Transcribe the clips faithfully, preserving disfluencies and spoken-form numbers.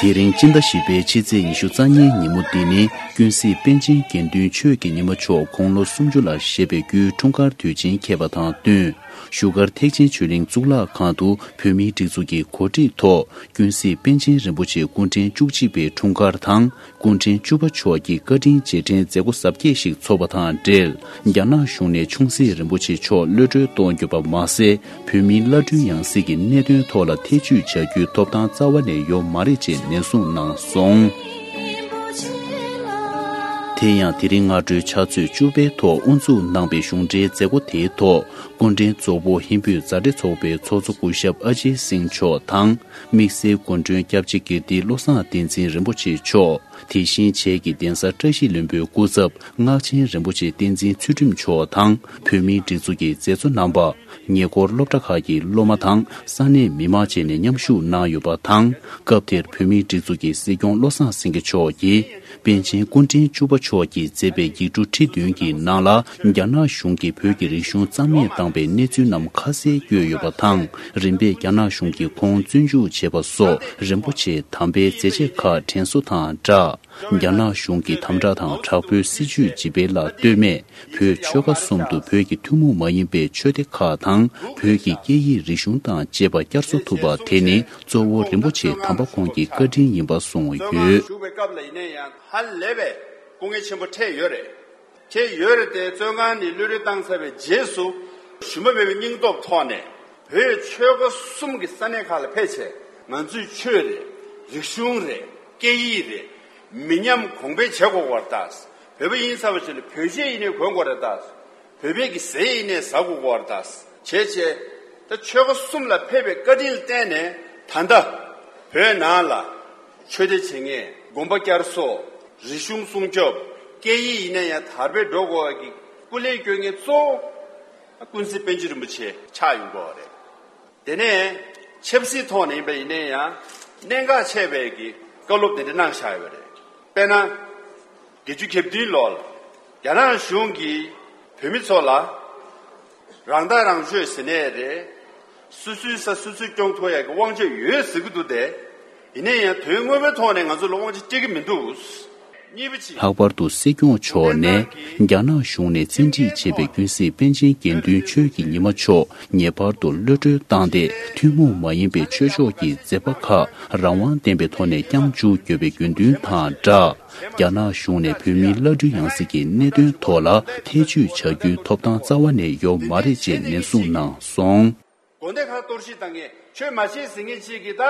དེ་རིང་སྤྱི་ཟླ་བཞི་པའི་ཕྱི་ཚེས་ཉི་ཤུ་རྩ་གཉིས་ཉིན་མོ་འདི་ནི་ཀུན་གཟིགས་པཎ་ཆེན་དགེ་འདུན་ཆོས་ཀྱི་ཉི་མ་མཆོག་དགུང་ལོ་སུམ་ཅུ་ལ་བཞེས་པའི་རྒྱུའི་འཁྲུངས་སྐར་དུས་ཆེན་འཁེལ་བ་དང་བསྟུན། བཞུགས་སྒར་ཐེག་ཆེན་ཆོས་གླིང་གཙུག་ལག་ཁང་དུ་བོད་མིའི་སྒྲིག་འཛུགས་ཀྱི་གོ་སྒྲིག་ཐོག་ཀུན་གཟིགས་པཎ་ཆེན་རིན་པོ་ཆེ་སྐུ་ཕྲེང་བཅུ་གཅིག་པའི་འཁྲུངས་སྐར་དང་། སྐུ་ཕྲེང་བཅུ་པ་མཆོག་གི་བཀའ་དྲིན་རྗེས་དྲན་མཛད་སྒོ་གཟབ་རྒྱས་ཤིག་འཚོགས་པ་དང་འབྲེལ། རྒྱ་ནག་གཞུང་ནས་ཆུང་སྲིད་རིན་པོ་ཆེ་མཆོག་གློད་གྲོལ་གཏོང་རྒྱུ་པ་མ་ཟད། བོད་མིའི་བླ་སྤྲུལ་ཡང་སྲིད་ཀྱི་གནད་དོན་ཐོག་ལ་ཐེ་བྱུས་བྱ་རྒྱུའི་ཐོབ་ཐང་རྩ་བ་ནས་ཡོད་མ་རེད་ཅེས་ནན་གསུངས་གནང་སོང་། དེ་ཡང་དེ་རིང་སྔ་དྲོའི་ཕྱག་ཚོད་བཅུ་པའི་ཐོག་དབུ་འཛུགས་གནང་པའི་གཞུང་འབྲེལ་མཛད་སྒོ་དེའི་ཐོག་སྐུ་ཕྲེང་ཚོགས་གཙོ་ཧིན་བོད་མཛའ་འབྲེལ་ཚོགས་པའི་ཚོགས་གཙོ་སྐུ་ཞབས་ཨ་ཇེ་སིང་མཆོག་དང་། དམིགས་བསལ་སྐུ་མགྲོན་སྐྱབས་རྗེ་དགེ་ལྡན་བློ་བཟང་བསྟན་འཛིན་རིན་པོ་ཆེ་མཆོག་དེ་བཞིན་བྱེས་ཀྱི་གདན་ས་བཀྲ་ཤིས་ལྷུན་པོའི་སྐུ་ཚབ་སྔགས་ཆེན་རིན་པོ་ཆེ་བསྟན་འཛིན་ཚུལ་ཁྲིམས་མཆོག་དང་། བོད་མིའི་སྒྲིག་འཛུགས་ཀྱི་མཛད་གཙོ་རྣམ་པ། ཉེ་འཁོར་སློབ་གྲྭ་ཁག་གི་སློབ་མ་དང་ས་གནས་མི་མང་བཅས་ནས་མཉམ་ཞུགས་གནང་ཡོད་པ་དང་། སྐབས་དེར་བོད་མིའི་སྒྲིག་འཛུགས་ཀྱི་སྲིད་སྐྱོང་བློ་བཟང་སེང་གེ་མཆོག་གིས་པཎ་ཆེན་སྐུ་ཕྲེང་བཅུ་པ་མཆོག་གིས་མཛད་པའི་ཡིག་འབྲུ་ཁྲི་བདུན་གྱི་ནང་ལ་རྒྱ་ནག་གཞུང་གིས་བོད་ཀྱི་རིག་གཞུང་རྩ་མེད་བཏང་པའི་གནས་ཚུལ་རྣམས་ཁ་གསལ་བཀོད་ཡོད་པ་དང་། རིམ་པས་རྒྱ་ནག་གཞུང་གིས་ཁོང་བཙོན་འཇུག་བྱས་པ་སོགས་རིན་པོ་ཆེ་དམ་པའི་མཛད་རྗེས་ཁག་དྲན་གསོ་དང་སྦྲགས། རྒྱ་ནག་གཞུང་གི་དམ་དྲག་དང་དྲག་པོའི་སྲིད་བྱུས་ཇི་སྤེལ་ལ་ལྟོས་མེད། བོད་ཆོལ་ཁ་གསུམ་དུ་བོད་ཀྱི་ཐུན་མོང་མ་ཡིན་པའི་ཆོས་སྡེ་ཁག་དང་། བོད་ཀྱི་སྐད་ཡིག་རིག་གཞུང་དང་བཅས་པ་བསྐྱར་གསོ་ཐུབ་པ་དེ་ནི་གཙོ་བོ་རིན་པོ་ཆེ་དམ་པ་ཁོང་གི་བཀའ་དྲིན་ཡིན་པ་གསུངས་ཡོད། བཞུགས་པའི་སྐབས་ལ་ཡིན་ན་ཡང་ཧ་ལས་པའི་སྐུ་ངལ་ཆེན་པོ་འཕྲད་ཡོད་རེད། འཕྲད་ཡོད་རེད་དེ། བཙོན་ཁང་ནས་གློད་གྲོལ་བཏང་ཚར་བའི་རྗེས་སུ་ཞུམ་པ་མེད་པའི་སྙིང་སྟོབས་ཐོག་ནས་བོད་ཆོལ་ཁ་གསུམ་གྱི་ས་གནས་ཁག་ལ་ཕེབས་བྱས། ང་ཚོའི་ཆོས་རེད། རིག་གཞུང་རེད། སྐད་ཡིག་རེད། མི་ཉམས་གོང་འཕེལ་བྱེད་དགོས་པར་ལྟ། བོད་པ་ཡིན་ཚར་བ་ཞིག་ལ་བོད་ཆས་ཡིན་ནའི་གོན་དགོས་རེད་ད། བོད་པའི་གི་ཟས་ཡིན་ནའི་ཟ་དགོས་པར་ལྟ། བྱས་བྱས། ད་ཆོལ་ཁ་གསུམ་ལ་ཕེབས་པའི་བཀའ་དྲིན་ལ་བརྟེན་ནས་ད་ལྟ་བོད་ནང་ལ་ཆོས་སྡེ་བྱེད་མཁན། དགོན་པ་བསྐྱར་གསོ། རིག་གཞུང་སྲུང་སྐྱོབ། སྐད་ཡིག་ཡིན་ན་ཡང་དར་སྤེལ་འགྲོ་དགོས་པ་གི་སྐུ་ལས་སྐྱོན་མཁན་གཙོ་བོ་ཀུན་གཟིགས་པཎ་ཆེན་རིན་པོ་ཆེ་ཆགས་ཡོང་གི་ཡོད་རེད། དེ་ནས་ཆབ་སྲིད་ཐོག་ནས་ཡིན་པ་ཡིན་ན་ཡང་གནད་འགག་ཆེ་བའི་གི་བཀའ་སློབ་དེ་འདྲ་གནང་བཞག་ཡོད་པ་རེད། དཔེར་ན། བརྒྱད་ཅུ་གྱ་བདུན་ལོར་རྒྱ་ནག་གཞུང་གིས་བོད་མི་ཚོ་ལ་རང་ཐག་རང་གཅོད་ཟེར་ནའི་རེད། སོ་སོའི་ས་སོ་སོས་སྐྱོང་ཐུབ་ཡག་གི་དབང་ཆ་ཡོད་ཟེར་གི་འདུག་སྟེ། ཡིན་ན་ཡང་དོན་དངོས་པོའི་ཐོག་ནས་ང་ཚོ་ལ་དབང་ཆ་སྤྲད་ཀྱི་མི་འདུག་གཉིས་པ་གཅིག་ལྷག་པར་དུ་སྲིད་སྐྱོང་མཆོག་ནས་རྒྱ་ནག་གཞུང་ནས་བཙན་ཁྲིད་བྱས་པའི་ཀུན་གཟིགས་པཎ་ཆེན་དགེ་འདུན་ཆོས་ཀྱི་ཉི་མ་མཆོག་ངེས་པར་དུ་གློད་གྲོལ་བཏང་སྟེ། ཐུན་མོང་མ་ཡིན་པའི་ཆོས་ཕྱོགས་ཀྱི་མཛད་པ་ཁག་རང་དབང་ལྡན་པའི་ཐོག་ནས་བསྐྱང་བཅུག་དགོས་པའི་དགོས་འདུན་དང་སྦྲགས། རྒྱ་ནག་གཞུང་ནས་བོད་མིའི་བླ་སྤྲུལ་ཡང་སྲིད་ཀྱི་གནད་དོན་ཐོག་ལ་ཐེ་བྱུས་བྱ་རྒྱུའི་ཐོབ་ཐང་རྩ་བ་ནས་ཡོད་མ་རེད་ཅེས་ནན་གསུངས་གནང་སོང་། དགོན་སྡེ་ཁག་གཏོར་བཤིག་བཏང་མཁན། ཆོས་མ་བྱེད་ཟེར་མཁན་གཅིག་གིས་ད།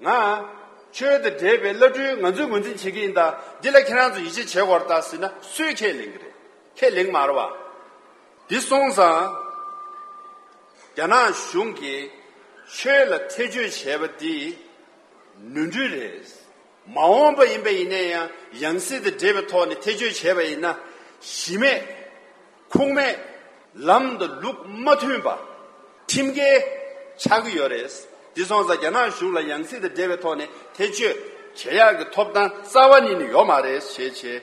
ང་ཆོས་དང་འབྲེལ་བའི་བླ་སྤྲུལ་ང་ཚོས་ངོས་འཛིན་བྱེད་ཀྱི་ཡིན་ད། འདི་ལ་ཁྱེད་རང་ཚོ་ཡིད་ཆེས་བྱེད་དགོས་རེད་ད་ཟེར་ན་སུས་ཁས་ལེན་གྱི་རེད། ཁས་ལེན་མ་རེད་བ། འདི་སོང་ཙང་། རྒྱ་ནག་གཞུང་གིས་ཆོས་ལ་ཐེ་བྱུས་བྱས་པ་འདི་ནོར་འཁྲུལ་རེད། མ་འོངས་པ་ཡིན་པ་ཡིན་ན་ཡང་ཡང་སྲིད་དང་འབྲེལ་བའི་ཐོག་ནས་ཐེ་བྱུས་བྱས་པ་ཡིན་ན། གཞི་མེད། ཁུངས་མེད། ལམ་དང་ལུགས་མ་མཐུན་པ། ཁྲིམས་འགལ་ཆགས་ཀྱི་ཡོད་རེད། འདི་སོང་ཙང་རྒྱ་ནག་གཞུང་ལ་ཡང་སྲིད་དང་འབྲེལ་བའི་ཐོག་ནས་ཐེ་བྱུས་བྱེད་ཡག་གི་ཐོབ་ཐང་རྩ་བ་ཉིད་ནས་ཡོད་མ་རེད་ཞེས་བྱས་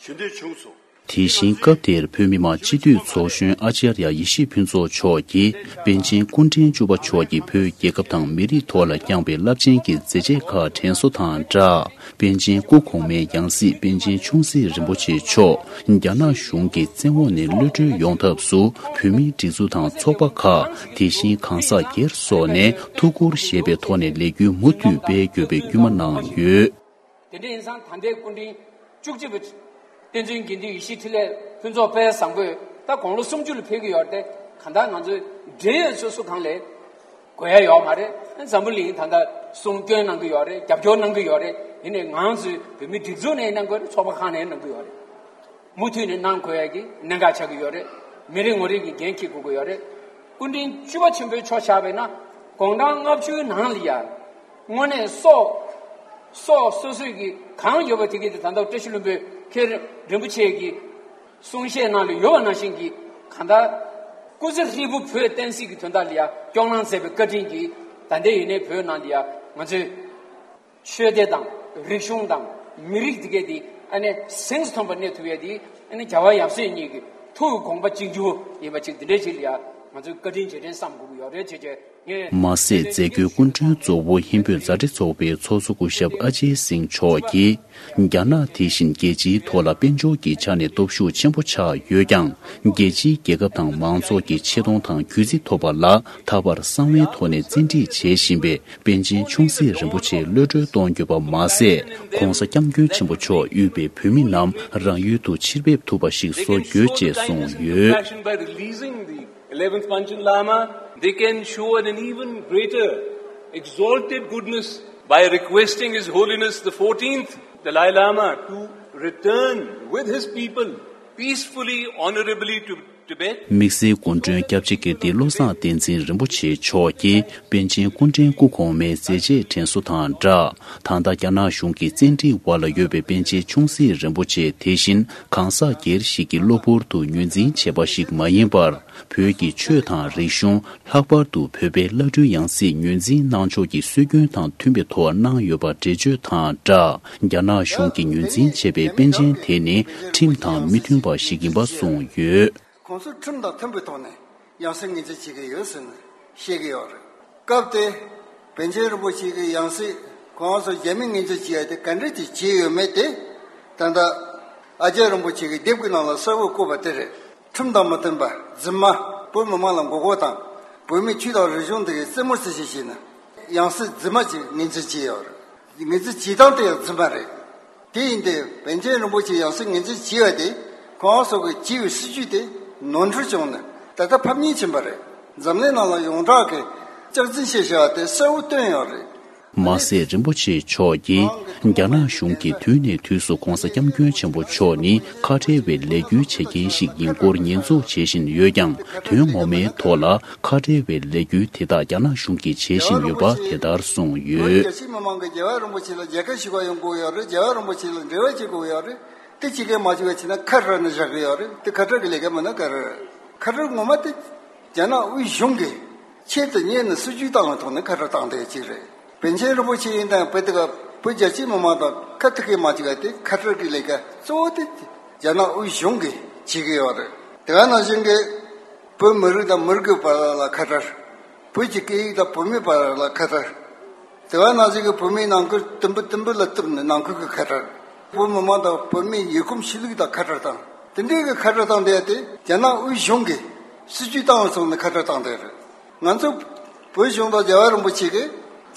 ཞུ་འདོད་བྱུང་སོང་། དེ་བཞིན་སྐབས་དེར་བོད་མི་མང་སྤྱི་འཐུས་ཚོགས་གཞོན་ཨ་ཙརྱ་ཡེ་ཤེས་ཕུན་ཚོགས་མཆོག་གིས་པཎ་ཆེན་སྐུ་ཕྲེང་བཅུ་པ་མཆོག་གིས་བོད་རྒྱལ་ཁབ་དང་མི་རིགས་ཐོག་ལ་བསྐྱངས་པའི་རླབས་ཆེན་གྱི་མཛད་རྗེས་ཁག་དྲན་གསོ་དང་སྦྲགས། པཎ་ཆེན་སྐུ་གོང་མའི་ཡང་སྲིད་པཎ་ཆེན་ཆུང་སྲིད་རིན་པོ་ཆེ་མཆོག་རྒྱ་ནག་གཞུང་གི་བཙན་འོག་ནས་གློད་གྲོལ་ཡོང་ཐབས་སུ་བོད་མིའི་སྒྲིག་འཛུགས་དང་ཚོགས་པ་ཁག་དེ་བཞིན་གང་ཟག་སྒེར་སོགས་ནས་ཐུགས་ཁུར་བཞེས་པའི་ཐོག་ནས་ལས་འགུལ་མུ་མཐུད་སྤེལ་དགོས་པའི་སྐུལ་མ་གནང་ཡོད། དེ་འདྲ་ཡིན་ཙང་ད་ལྟའི་སྐུ་ཕྲེང་བཅུ་གཅིག་པ་བསྟན་འཛིན་དགེ་འདུན་ཡེ་ཤེས་འཕྲིན་ལས་ཕུན་ཚོགས་དཔལ་བཟང་པོས་ད་དགུང་ལོ་སུམ་ཅུ་ལ་ཕེབས་ཀྱི་ཡོད་རེད་དེ། གང་ལྟར་ང་ཚོའི་འབྲེལ་ཡོད་སོ་སོ་གང་ལས་དགོས་ཡ་ཡོད་མ་རེད། འཛམ་བུ་གླིང་ད་ལྟ་གསུང་སྐྱོན་གནང་གི་ཡོད་རེད། རྒྱབ་སྐྱོར་གནང་གི་ཡོད་རེད། ཡིན་ནའི་ང་ཚོའི་བོད་མིའི་སྒྲིག་འཛུགས་ནས་གནང་དགོས་རེད། ཚོགས་པ་ཁག་ནས་གནང་གི་ཡོད་རེད། མུ་མཐུད་ནས་གནང་དགོས་ཡ་གི་གནད་འགག་ཆགས་ཀྱི་ཡོད་རེད། མི་རེ་ངོ་རེ་གིས་འགན་འཁྱེར་དགོས་ཀྱི་ཡོད་རེད། སྐུ་ཕྲེང་བཅུ་པ་ཆེན་པོའི་ཆ་བཞག་པ་ཡིན་ན་དགུང་གྲངས་ལྔ་བཅུའི་ནང་ལ་ཡ། དངོས་གནས་སྲོག་སྲོག་སོ་སོའི་གི་གང་ཡོད་པ་དེ་གི་དེ་ད་ལྟ་བཀྲ་ཤིས་ལྷུན་པོའི་མཁན་རིན་པོ་ཆེ་གི་གསུང་བཤད་ནང་ལ་ཡོད་པ་ནང་བཞིན་གྱི་གང་ལྟར་སྐུ་ཚེ་ཧྲིལ་པོ་བོད་བསྟན་སྲིད་ཀྱི་དོན་དག་ལ་ཡ་སྐྱོང་གནང་མཛད་པའི་བཀའ་དྲིན་གྱིས་ད་ལྟའི་ཡིན་ནའི་བོད་ནང་ལ་ཡ་ང་ཚོའི་ཆོས་སྡེ་དང་རིག་གཞུང་དང་མི་རིགས་དེ་གས་དེ་ཨ་ནི་གཟེངས་སུ་ཐོན་པ་གནས་ཐུབ་ཡས་དེ་ཨ་ནི་རྒྱལ་བ་ཡབ་སྲས་གཉིས་ཀྱི་ཐུགས་དགོངས་པ་གཅིག་གྱུར་ཡིན་པ་ཅིག་དེ་འདྲའི་ཅིག་ལ་ཡ། ང་ཚོས་བཀའ་དྲིན་རྗེས་དྲན་བསམ་དགོས་ཀྱི་ཡོད་རེད་ཅེས་བྱས་ངས། མ་ཟད་མཛད་སྒོའི་སྐུ་མགྲོན་གཙོ་བོ་ཧིན་བོད་མཛའ་འབྲེལ་ཚོགས་པའི་ཚོགས་གཙོ་སྐུ་ཞབས་ཨ་ཇེ་སིང་མཆོག་གིས། རྒྱ་ནག་དེ་བཞིན་རྒྱལ་སྤྱིའི་ཐོག་ལ་དཔལ་འབྱོར་གྱི་ཆ་ནས་སྟོབས་ཤུགས་ཆེན་པོ་ཆགས་ཡོད་ཀྱང་། རྒྱལ་སྤྱིའི་རྒྱལ་ཁབ་དང་མང་ཚོགས་ཀྱི་ཆེ་མཐོང་དང་གུས་བརྩི་ཐོབ་པ་ལ་ད་བར་གསང་བའི་ཐོག་ནས་བཙན་ཁྲིད་བྱེད་བཞིན་པའི་པཎ་ཆེན་ཆུང་སྲིད་རིན་པོ་ཆེ་གློད་གྲོལ་གཏོང་རྒྱུ་པ་མ་ཟད། ྋགོང་ས་ྋསྐྱབས་མགོན་ཆེན་པོ་མཆོག་དབུས་པའི་བོད་མི་རྣམས་རང་ཡུལ་དུ་ཕྱིར་ཕེབས་ཐུབ་པ་ཞིག་བཟོ་དགོས་ཅེས་གསུངས་ཡོད། Passion by releasing the eleventh Panchen Lama, they can show an even greater exalted goodness by requesting His Holiness the fourteenth Dalai Lama to return with his people peacefully, honorably to དམིགས་བསལ་སྐུ་མགྲོན་སྐྱབས་རྗེ་ཀིརྟི་བློ་བཟང་བསྟན་འཛིན་རིན་པོ་ཆེ་མཆོག་གིས་པཎ་ཆེན་སྐུ་ཕྲེང་སྐུ་གོང་མའི་མཛད་རྗེས་དྲན་གསོ་དང་སྦྲགས། ད་ལྟ་རྒྱ་ནག་གཞུང་གི་བཙན་ཁྲིད་འོག་ལ་ཡོད་པའི་པཎ་ཆེན་ཆུང་སྲིད་རིན་པོ་ཆེ་དེ་བཞིན་གང་ཟག་སྒེར་ཞིག་གི་གློ་བུར་དུ་ངོས་འཛིན་བྱས་པ་ཞིག་མ་ཡིན་པར། བོད་ཀྱི་ཆོས་དང་རིག་གཞུང་། ལྷག་པར་དུ་བོད་པའི་བླ་སྤྲུལ་ཡང་སྲིད་ངོས་འཛིན་གནང་ཕྱོགས་ཀྱི་སྲོལ་རྒྱུན་དང་མཐུན་པའི་ཐོག་གནང་ཡོད་པ་འགྲེལ་བརྗོད་དང་སྦྲགས། རྒྱ་ནག་གཞུང་གིས་ངོས་འཛིན་བྱས་པའི་པཎ་ཆེན་དེ་ནི་ཁྲིམས་དང་མི་མཐུན་པ་ཞིག་ཡིན་པ་གསུངས་ཡོད། ཁོང་ཚོས་ཁྲིམས་དང་མཐུན་པའི་ཐོག་ནས་ཡང་སྲིད་ངོས་འཛིན་བྱེད་ཀྱི་ཡོད་ཟེར་ནས་བཤད་ཀྱི་ཡོད་རེད། སྐབས་དེ་པཎ་ཆེན་རིན་པོ་ཆེ་གི་ཡང་སྲིད་ཁོང་ཚོ་རྒྱ་མིས་ངོས་འཛིན་བྱེད་ཡ་དེ་ག་འདྲ་ཅིག་བྱས་ཡོད་མེད་དེ། ད་ལྟ་ཨ་ཅག་རིན་པོ་ཆེ་གི་དེབ་ཀྱི་ནང་ལ་གསལ་བོ་བཀོད་པ་དེ་རེད། ཁྲིམས་དང་མི་མཐུན་པ། རྫུན་མ། བོད་མི་མང་ལ་མགོ་སྐོར་དང་། བོད་མིའི་ཆོས་དང་རིག་གཞུང་དེ་གའི་རྩེད་མོ་རྩེ་བྱེད་བྱས་ནས་ཡང་སྲིད་རྫུན་མ་ཅིག་ངོས་འཛིན་བྱས་ཡོད་རེད། ངོས་འཛིན་བྱེད་སྟངས་དེ་ཡང་རྫུན་མ་རེད། དེ་ཡིན་དུས་པཎ་ཆེན་རིན་པོ་ཆེ་ཡང་སྲིད་ངོས་འཛིན་བྱས་པ་དེ་ཁོང་ཚོ་གི་བྱས་པའི་སྲིད་ཇུས་དེ་ནོར་འཁྲུལ་བྱུང་ནས་ད་ལྟ་ཕམ་ཉེས་ཕྱིན་པ་རེད། འཛམ་གླིང་ནང་ལ་ཡོངས་གྲགས་ཀྱི་སྐྱག་རྫུན་བཤད་བྱ་བ་དེ་གསལ་བོ་བཏོན་ཡོད་རེད། མ་ཟད་རིན་པོ་ཆེ་མཆོག་གིས་རྒྱ་ནག་གཞུང་གིས་དུས་ནས་དུས་སུ་ྋགོང་ས་ྋསྐྱབས་མགོན་ཆེན་པོ་མཆོག་ནི་ཁ་བྲལ་བའི་ལས་འགུལ་བྱེད་མཁན་ཞིག་ཡིན་སྐོར་ཉེས་འཛུགས་བྱེད་བཞིན་ཡོད་ཀྱང་། དོན་ངོ་མའི་ཐོག་ལ་ཁ་བྲལ་བའི་ལས་འགུལ་དེ་དག་རྒྱ་ནག་གཞུང་གིས་བྱེད་བཞིན་ཡོད་པ་དེ་ལྟར་གསུངས་ཡོད། རྒྱལ་སྤྱིའི་མི་མང་གིས་རྒྱལ་བ་རིན་པོ་ཆེ་ལ་མཇལ་ཁ་ཞུ་ག་ཡོང་དགོས་ཡོད་རེད། རྒྱལ་བ་རིན་པོ་ཆེ་ལ་འབྲེལ་བ་བྱེད་དགོས་ཡོད་རེད། དེ་བྱེད་མཁན་མ་བྱེད་པ་བྱས་ན་ཁ་བྲལ་ནས་བཞག་གི་ཡོད་རེད། དེ་ཁ་བྲལ་གྱི་ལས་ཀ་མིན་ན་ག་རེ་རེད། ཁ་བྲལ་ངོ་མ་དེ་རྒྱ་ནག་དབུས་གཞུང་གིས་ཆེད་དུ་གཉེར་ནས་སྲིད་ཇུས་བཏང་བའི་ཐོག་ནས་ཁ་བྲལ་བཏང་བསྡད་ཅིག་རེད། པཎ་ཆེན་རིན་པོ་ཆེ་ཡིན་དང་བོད་དེ་ག་བོད་རྒྱལ་སྤྱིའི་མི་མང་དང་ཁ་ཐུག་གི་མ་བྱེད་པ་དེ་ཁ་བྲལ་གྱི་ལས་ཀ་གཙོ་བོ་དེ་རྒྱ་ནག་དབུས་གཞུང་གིས་བྱེད་ཀྱི་ཡོད་རེད། དེ་ག་ནང་བཞིན་གྱི་བོད་མི་རིགས་དང་མི་རིགས་བར་ལ་ཁ་བྲལ། བོད་ཀྱི་སྐད་ཡིག་དང་བོད་མིའི་བར་ལ་ཁ་བྲལ། དེ་ག་ནང་བཞིན་གྱི་བོད་མིའི་ནང་ཁུལ་དུམ་བུ་དུམ་བུ་ལ་གཏུབ་ནས་ནང་ཁུལ་གྱི་ཁ་བྲལ། བོད་མི་མང་དང་བོད་མིའི་ཡུལ་གོམས་གཤིས་ལུགས་དང་ཁ་བྲལ་བཏང་། དེ་འདྲའི་གི་ཁ་བྲལ་བཏང་བསྡད་དེ་རྒྱ་ནག་དབུས་གཞུང་གིས་སྲིད་ཇུས་བཏང་བའི་ཐོག་ནས་ཁ་བྲལ་བཏང་བསྡད་རེད། ང་ཚོ་བོད་གཞུང་དང་རྒྱལ་བ་རིན་པོ་ཆེ་གིས་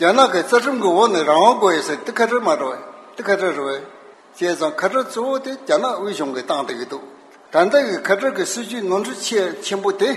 རྒྱ་ནག་གི་རྩ་ཁྲིམས་ཀྱི་འོག་ནས་རང་དབང་དགོས་ཡོད་ཟེར་དེ་ཁ་བྲལ་མ་རེད་བས། དེ་ཁ་བྲལ་རེད་བས། བྱས་ཙང་ཁ་བྲལ་གཙོ་བོ་དེ་རྒྱ་ནག་དབུས་གཞུང་གིས་བཏང་བསྡད་ཀྱི་འདུག་ད་ལྟ་གི་ཁ་བྲལ་གྱི་སྲིད་ཇུས་ནོར་འཁྲུལ་ཆེས་ཆེན་པོ་དེ།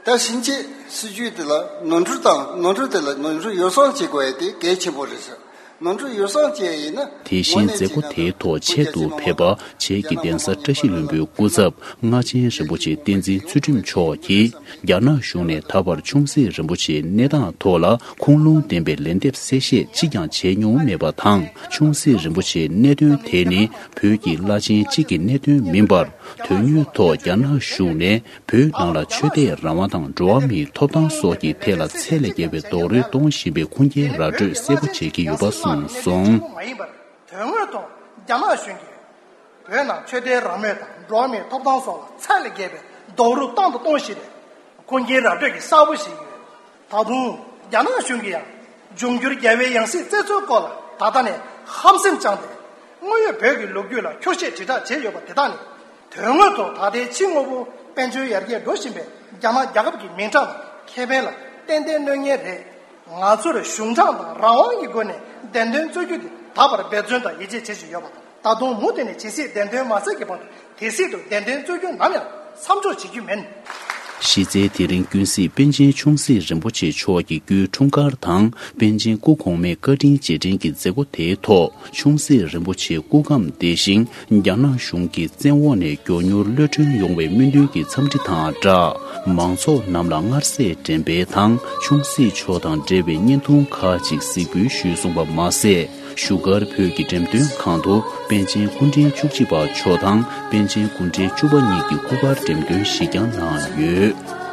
ད་ཕྱིན་ཆད་སྲིད་ཇུས་དེ་ལ་ནོར་འཁྲུལ་དང་ནོར་འཁྲུལ་དེ་ལ་ནོར་འཁྲུལ་ཡོ་བསྲང་བྱེད་དགོས་ཡ་དེ་གལ་ཆེན་པོ་རེད་ཟེར། ནོར་འཁྲུལ་ཡོ་བསྲང་བྱས་ཡིན་ན། དེ་བཞིན་མཛད་སྒོ་དེའི་ཐོག་ཆེད་དུ་ཕེབས་པ་བྱེས་ཀྱི་གདན་ས་བཀྲ་ཤིས་ལྷུན་པོའི་སྐུ་ཚབ་སྔགས་ཆེན་རིན་པོ་ཆེ་བསྟན་འཛིན་ཚུལ་ཁྲིམས་མཆོག་གིས། རྒྱ་ནག་གཞུང་ནས་ད་བར་ཆུང་སྲིད་རིན་པོ་ཆེའི་གནས་སྟངས་ཐོག་ལ་ཁུངས་ལུང་ལྡན་པའི་ལན་འདེབས་གསལ་བཤད་གཅིག་ཀྱང་བྱས་མྱོང་མེད་པ་དང་། ཆུང་སྲིད་རིན་པོ་ཆེའི་གནད་དོན་དེ་ནི་བོད་ཀྱི་བླ་ཆེན་གཅིག་གི་གནད་དོན་མིན་པར། དོན་དངོས་ཐོག་རྒྱ་ནག་གཞུང་ནས་བོད་ནང་ལ་ཆོས་དད་རང་དབང་དང་འགྲོ་བ་མིའི་ཐོབ་ཐང་སོགས་ཀྱི་ཐད་ལ་ཚད་ལས་བརྒལ་བའི་རྡོག་རོལ་གཏོང་བཞིན་པའི་ཁུངས་སྐྱེལ་ར་སྤྲོད་གསལ་པོ་བྱེད་ཀྱི་ཡོད་པ་གསུངས་སོང་། མ་ཡིན་པར། དོན་དངོས་ཐོག་རྒྱ་ནག་གཞུང་གིས་བོད་ནང་ཆོས་དད་རང་མོས་དང་འགྲོ་བ་མིའི་ཐོབ་ཐང་སོགས་ལ་ཚད་ལས་བརྒལ་བའི་རྡོག་རོལ་བཏང་དང་གཏོང་བཞིན་པའི་ཁུངས་སྐྱེལ་ར་སྤྲོད་ཀྱི་གསལ་པོ་ཞིག་ཡོད། ད་དུང་རྒྱ་ནག་གཞུང་གིས་ཡང་འབྱུང་འགྱུར་རྒྱལ་བའི་ཡང་སྲིད་བཙན་འཛུལ་སྐོར་ལ་ད་ལྟ་ནས་ཧམ་སེམས་བཅངས་ཏེ། དངོས་ཡོད་བོད་ཀྱི་ལོ་རྒྱུས་ལ་འཁྱོག་བཤད་དྲིལ་བསྒྲགས་བྱས་ཡོད་པ་དེ་དག་ནི། དོན་དངོས་ཐོག་ད་ལྟའི་ཕྱི་དངོས་པོ་དཔལ་འབྱོར་ཡར་རྒྱས་འགྲོ་བཞིན་པའི་རྒྱ་ནག་རྒྱལ་ཁབ་ཀྱི་མིང་གྲགས་དང་ཁེ་ཕན་ལ་ཏན་ཏན་གནོད་ངེས་རེད། ང་ཚོར་གཞུང་དྲང་དང་རང་དབང་གི་སྒོ་ནས་བདེན་དོན་རྩོད་རྒྱུ་དེ་ད་བར་འབད་བརྩོན་དང་ཡིད་ཆེས་བྱེད་བཞིན་ཡོད་པ་དང་། ད་དུང་མུ་མཐུད་ནས་ཇི་སྲིད་བདེན་དོན་མ་གསལ་གྱི་བར་དུ་དེ་སྲིད་དུ་བདེན་དོན་རྩོད་རྒྱུ་ནམ་ཡང་མཚམས་འཇོག་བྱེད་རྒྱུ་མིན། གཞི་རྩའི་དེ་རིང་ཀུན་གཟིགས་པཎ་ཆེན་ཆུང་སྲིད་རིན་པོ་ཆེ་མཆོག་གི་སྐུའི་འཁྲུངས་སྐར་དང་པཎ་ཆེན་སྐུ་གོང་མའི་བཀའ་དྲིན་རྗེས་དྲན་གྱི་མཛད་སྒོ་དེའི་ཐོག་ཆུང་སྲིད་རིན་པོ་ཆེའི་སྐུ་ཁམས་བདེ་ཞིང་། རྒྱ་ནག་གཞུང་གི་བཙན་འོག་ནས་མགྱོགས་མྱུར་གློད་གྲོལ་ཡོང་བའི་སྨོན་འདུན་གྱི་འཚམས་འདྲི་དང་སྦྲགས། མང་ཚོགས་རྣམས་ལ་མངར་ཟས་འགྲེམས་སྤེལ་དང་ཆུང་སྲིད་མཆོག་དང་འབྲེལ་བའི་བརྙན་ཐུང་ཁག་ཅིག་གཟིགས་འབུལ་ཞུས་སོང་བ་མ་ཟད། བཞུགས་སྒར་བོད་ཀྱི་འགྲེམས་སྟོན་ཁང་དུ་པཎ་ཆེན་སྐུ་ཕྲེང་བཅུ་གཅིག་པ་མཆོག་དང་པཎ་ཆེན་སྐུ་ཕྲེང་བཅུ་པ་གཉིས་ཀྱི་སྐུ་པར་འགྲེམས་སྟོན་ཞིག་ཀྱང་གནང་ཡོད།